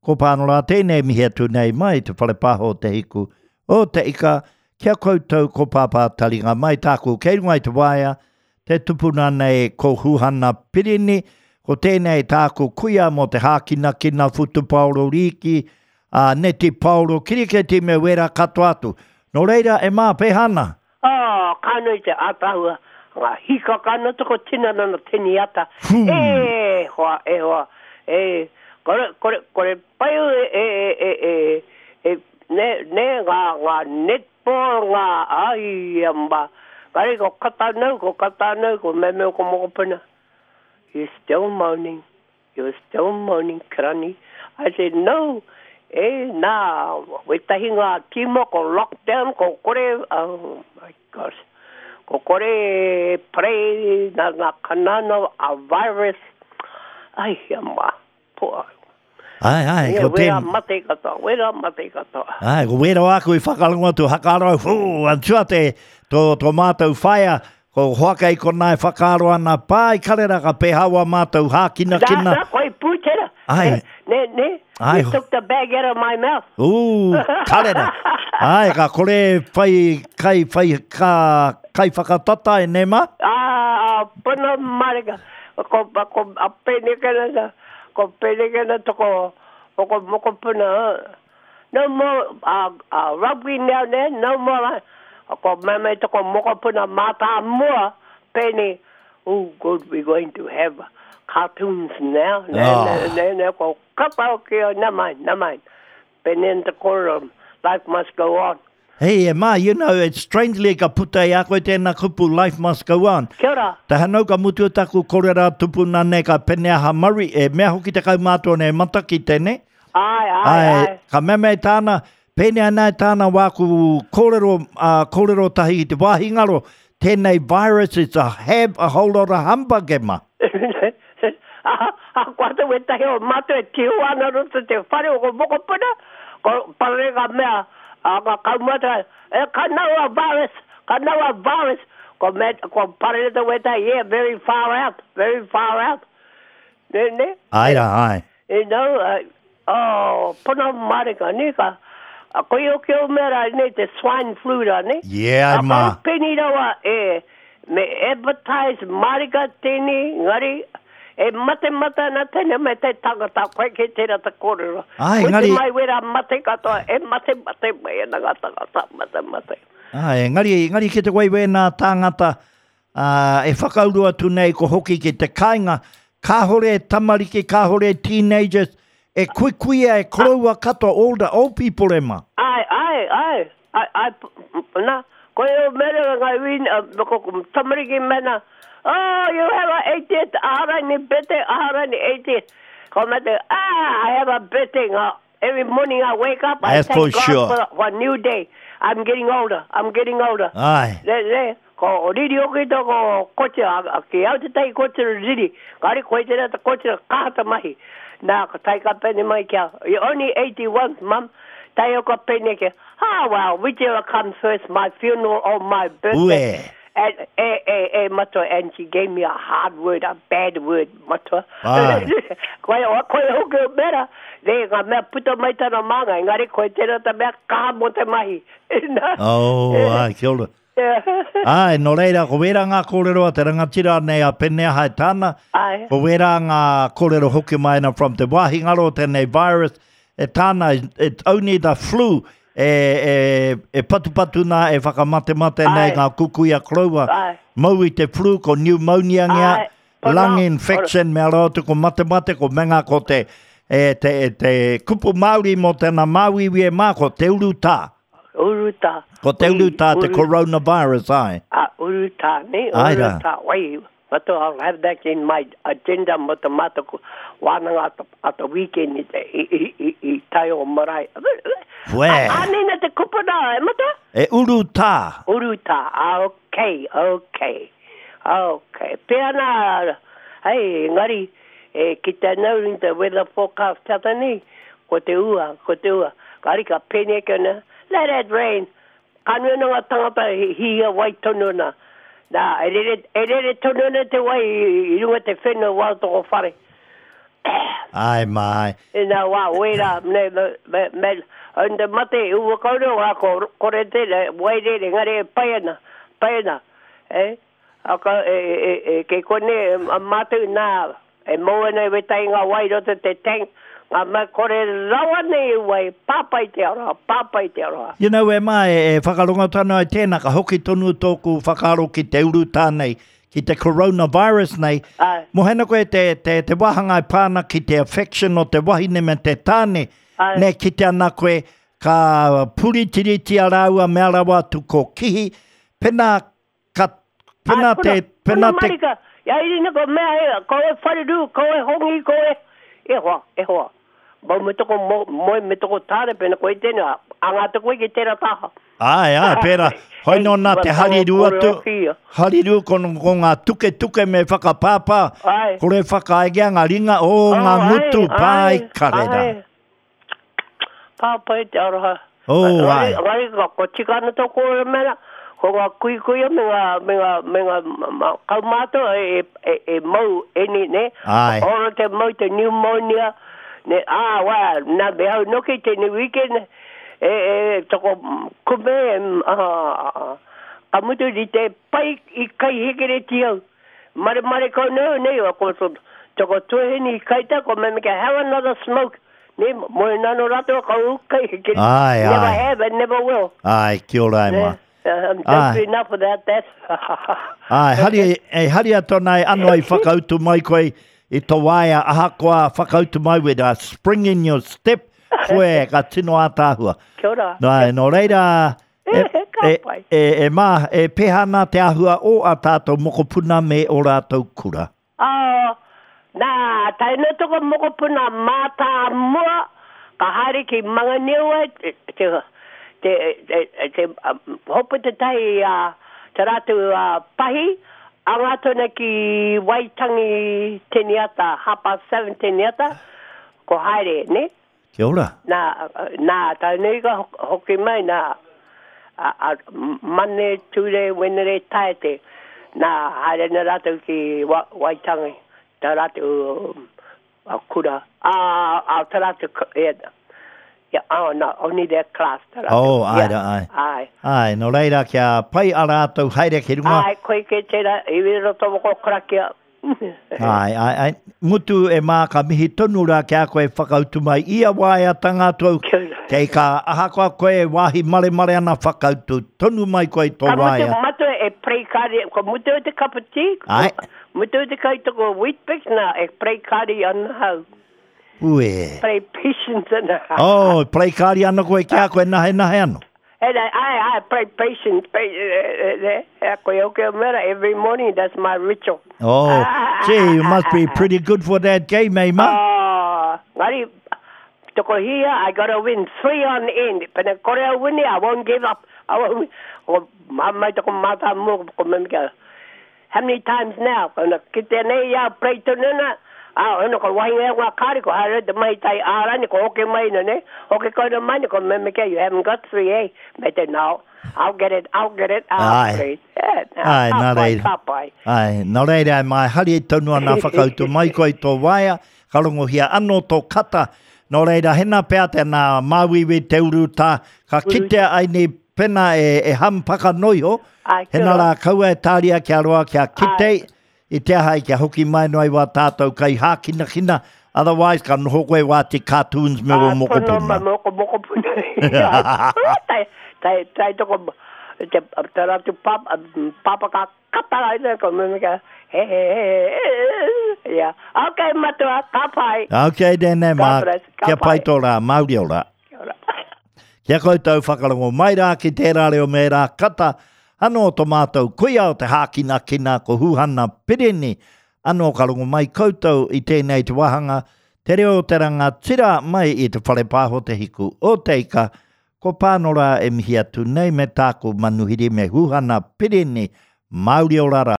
Ko Pānora tēnei mihi atu nei mai te whare pāho o Te Hiku o Te Ika ki a koutou ko Pāpā Taringa mai tāku kei runga i te waea te tupuna nei ko Huhana Pirini ko tēnei tāku kuia mō te hākinakina whutupaoro rīki ā neti paoro kiriketi me wera katoa atu. Nō reira e mā pēhā ana? Oh, ka nui te atahua, nga hikaka ana toko tinana na teni ata. E hoa, e hoa, e, kore, kore, kore pai e, e, e, e, e, ne, ne, nga, nga netball, nga, ai, ma, kare ko kata nau, ko kata nau, ko meme o ko mokopuna. You're still moaning. You're still moaning, Karani. I said, no, e, nā, wetahi ngā tīma ko lockdown, ko kore, oh my gosh, ko kore e pray nā ngā kanana a virus, ai hea mā, poa. Ai, ai, ko tēn... Wera mate katoa, wera mate katoa. Ai, ko wera wāku i whakarongo atu, hakarau, whū, antua te, tō, tō mātou whaea, Ko Hoaka i konā e whakaaro ana, pā i karera ka pēhā wā mātou hākinakina. Nā, nā, koe pūtera. Ai. Ne, ne, Ai. you took the bag out of my mouth. Ū, karera. Ai, ka kore whai kai, whai, ka, kai whakatata e nē mā? Ā, pono marika. Ko, ko, a Penekena, ko Penekena toko, ko mokopuna, No more uh, uh, rugby now then, no more. Uh, ko meme toko mokopuna mātāmua, pēnei, oh good, we're going to have cartoons now. Ne, oh. ne, ne, ne, ko kapa o ki o, na mind, na mind. Pēnei te kōrero, life must go on. Hey, e ma, you know, it's strangely ka puta i a koe tēnā kupu, life must go on. Kia ora. Te hanau ka mutu taku korera tupuna nei ka pene aha Murray, e mea hoki te kaumātua nei matakite, ne? Āe, āe, āe. Ka mea mai tāna, pēnei ana e tāna wāku kōrero, ā, kōrero tahi ki te wāhi ngaro, tēnei virus is a have a whole lot of humbug, e ma. Ahakoa te wētahi o mātou e tiho ana roto te whare o ko mokopuna, ko parere ngā mea, a ngā kaumātua, e ka nau a virus, ka nau a virus, ko, me, ko parere te wētahi, yeah, very far out, very far out. Ne, ne? Āe rā, āe. You know, uh, oh, pono marika, ne, ka, a koe o ke o mea rā, ne, te swine flu rā, ne? Yeah, ai mā. A peni rawa e, me advertise marika tēnei, ngari, e mate mata ana tēnei me te tangata, koe ke tērā te kōrero. Ai, koe ngari... te mai wera mate katoa, e mate mate mai ana ngā tangata, mate mate. Ai, engari, engari ki te wai wēnā tāngata, Ā, e whakauru atu nei ko hoki ki te kāinga, kāhore e tamariki, kāhore e teenagers, e kuikuia, e koroua katoa, all the old people e ma. Āe, āe, āe, āe, āe, na, ko e o mere nga win, ko tamariki mena, oh, you have a 80th, aharani birthday, aharani 80th, ko mate, ah, I have a birthday, nga, every morning I wake up, I That's thank for God sure. for, for a new day. I'm getting older, I'm getting older. Āe. Le, le, Ko riri hoki toko kotira, ki au tetahi kotira riri, kare koe tera te kotira kaha te mahi. Na, ka tae ka pene mai ki a, you're only 81, mum, tae au ka pene ki, ah well, whichever comes first, my funeral or my birthday. Ue. And, e, e, e, matua, and she gave me a hard word, a bad word, matua. Ai. koe, koe hoki o mera, ne, nga mea puta mai tana māngai, engari koe tera te mea kaha mo te mahi. Na. Oh, ai, kia ora. Āe, nō reira, ko wērā ngā kōrero a te rangatira nei a Peneaha e tāna, Āe. ko wērā ngā kōrero hoki mai ana from te wāhi ngaro o tēnei virus, e tāna, it's only the flu e, e, e patupatu nā, e whakamatemate nei Āe. ngā kukuia koroua. Āe. Mau i te flu, ko pneumonia ngea, Āe. Pono. lung infection, mea rawa atu ko matemate, ko menga ko te, e, te, e, te kupu Māori mō tēnā māuiui e mā, ko te urutā. Urutā. Ko te urutā te coronavirus, āe. A, urutā, ne? Āe rā. Urutā, wai, matua, I'll have that in my agenda mo te mātou wānanga at, at the weekend i, i, i, i, i tai o marae. Wē. Ānei na te kupu nā, e matua? E urutā. Urutā, ah, okay, okay. Okay. Pea nā, hei, engari, e kite ana au i te weather forecast tata nei, ko te ua, ko te ua. Kāri ka pēnei ake ana, let it rain. Ka nui ana ngā tangata e hihia wai tonu ana. Nā, e rere, e rere tonu ana te wai i runga te whenua wā o toko whare. Ai mai. E nā wā wera, me, me, me, me mate ua kaureo ngā ko, kore te, wairere, ngare e pai ana, pai ana. E, aka, e, e, e, kei kone, a mātou nā, e mau ana e wetai ngā wai roto te tank, ngā mea kore rawa nei e wai, pāpai te aroha, pāpai te aroha. You know, e mā, e, e whakarongo tonu ai tēnā, ka hoki tonu tōku whakaaro ki te urutā nei, ki te coronavirus nei, Ai. mohena koe te, te, te wāhanga e pā ana ki te affection o te wahine me te tāne, Ai. ne kite ana koe, ka puritiritia rāua mea rawa atu ko kihi, pena ka, pena Ai, te, pena puna te... Marika, ia irina ko mea he, ko e whareru, ko e hongi, ko e, e hoa, e hoa. Mau me toko mo, moe me toko tāne, pena koe tēnā, anga atu koe ki tērā taha. Āe, āe, pērā. Hoi nō nā te harirū atu, harirū ko, ko ngā tuketuke me whakapāpā, Āe. kore whakaaegea ngā ringa, ō, Oh, ngā āe, ngutu, āe, pāi, karera. āe. Pāpai te aroha. Oh, Engari, āe. engari, ko, ko tika ana tō kōrero mena, ko ngā kuikuia me ngā, me ngā, me ngā ma, kaumātua e, e, e mau eni, ne? Āe. Ora te mau te pneumonia, ne, ā, wā, nā me hau noki tēnei weekend, E, e, toko kume, ah, ka mutu i te pai i kai hekereti au. Mare mare kau nei, nei, ko toko tuahine i kaita, ko me meke, have another smoke. Ne, mo e nano rato, ka u kai hekereti. Ai, Never ai. have and never will. Ai, kia ora e Ne, ma. I'm Ai. dopey enough without that. Ai, hari, e hari atu ana e ano i whakautu mai koe i tō waea, ahakoa whakautu mai with a spring in your step, koe ka tino ātaahua. Kia ora. Nā, nō reira, e, Ka e, pai. e, e mā, e pēhā ana te āhua o a tātou mokopuna me o rātou kura. Oh, nā, tae noa toko mokopuna mātāmua, ka haere ki Manganeua, te, te, te, te, te, um, hopu te tahi a te rātou uh, pahi, anga tona ki Waitangi Teniata, 7:30 Teniata, ko haere, ne? Kia ora. Nā, nā, tae nei ka hoki mai, nā, a, a, Mane, Tūre, Wenere, Taete, nā, haere na rātou ki wa, Waitangi, tā rātou a kura, a, a, tā rātou, yeah, yeah, oh, no, only their class, tā rātou. Oh, ai, yeah, ai. Ai. Ai, nō reira, kia pai a rātou haere ki runga. Ai, koe ke tērā, i roto moko karakia. Ai, ai, ai. Mutu e mā ka mihi tonu rā ki a koe whakautu mai ia waeatanga atu au. Kia ora. Kei ka ahakoa koe e wāhi maremare ana whakautu tonu mai koe i tō Ka mutu waea. matua e pray kari, ko mutu o te cup of tea, Ai. mutu o te kai toko Weet-Bix nā, e pray kari ana hau. Ue. Pray patience ana hau. Oh, pray kari ana koe ki a koe nahe nahe ano. And I pray patience, pray, koe oke o mera, every morning, that's my ritual. Oh, gee, you must be pretty good for that game, eh, ma? Oh, ngari, toko hia, I gotta win three on end. Pena kore au wini, I won't give up. I won't, ko mai toko mātā mua, ko mea, how many times now? Kona kite nei ia pray tonu na, ah, ono ko wahinga e ngā kāri, ko haere te mai tai ārani, ko hoke mai na ne, hoke koina mai na, ko mea mea, you haven't got three, eh? Me te, no, I'll get it, I'll get it, I'll Ai. pray. Yeah, nā, Ai, ka nā pai, reira. ka pai. Ai, nō reira, mai hari tonu ana whakautu mai koe i tō waea, ka rongohia anō tō kata. Nō reira, hena pea tēnā māuiui te urutā, ka kitea ai nei pena e, e hampaka noiho, Ai, kia hena ora. rā kaua e tāria kia roa kia kite, Ai. i te aha i kia hoki mai noa i wā tātou kai hākinakina, otherwise ka noho koe wā te cartoons me wō Ah, pono ma mokopuna. moko mokopuna. Tai, tai, tai toko, te, te ratu papa, papa ka kata ai ne, ko mea mea, he, he, he, he, yeah. Okay, matua, ka pai. Okay, tēnei mā, God bless, ka kia pai pai. tō rā, mauri ora. Kia ora. Kia koutou whakarongo mai rā ki tērā reo me rā kata, anō tō mātou kuia o te hākinakina ko Huhana Pirini, anō ka rongo mai koutou i tēnei te wāhanga, te reo o te rangatira mai i te whare pāho te hiku o te ika, ko Pānora e mihi atu nei me tāku manuhiri me Huhana Pirini, Mauri ora rā.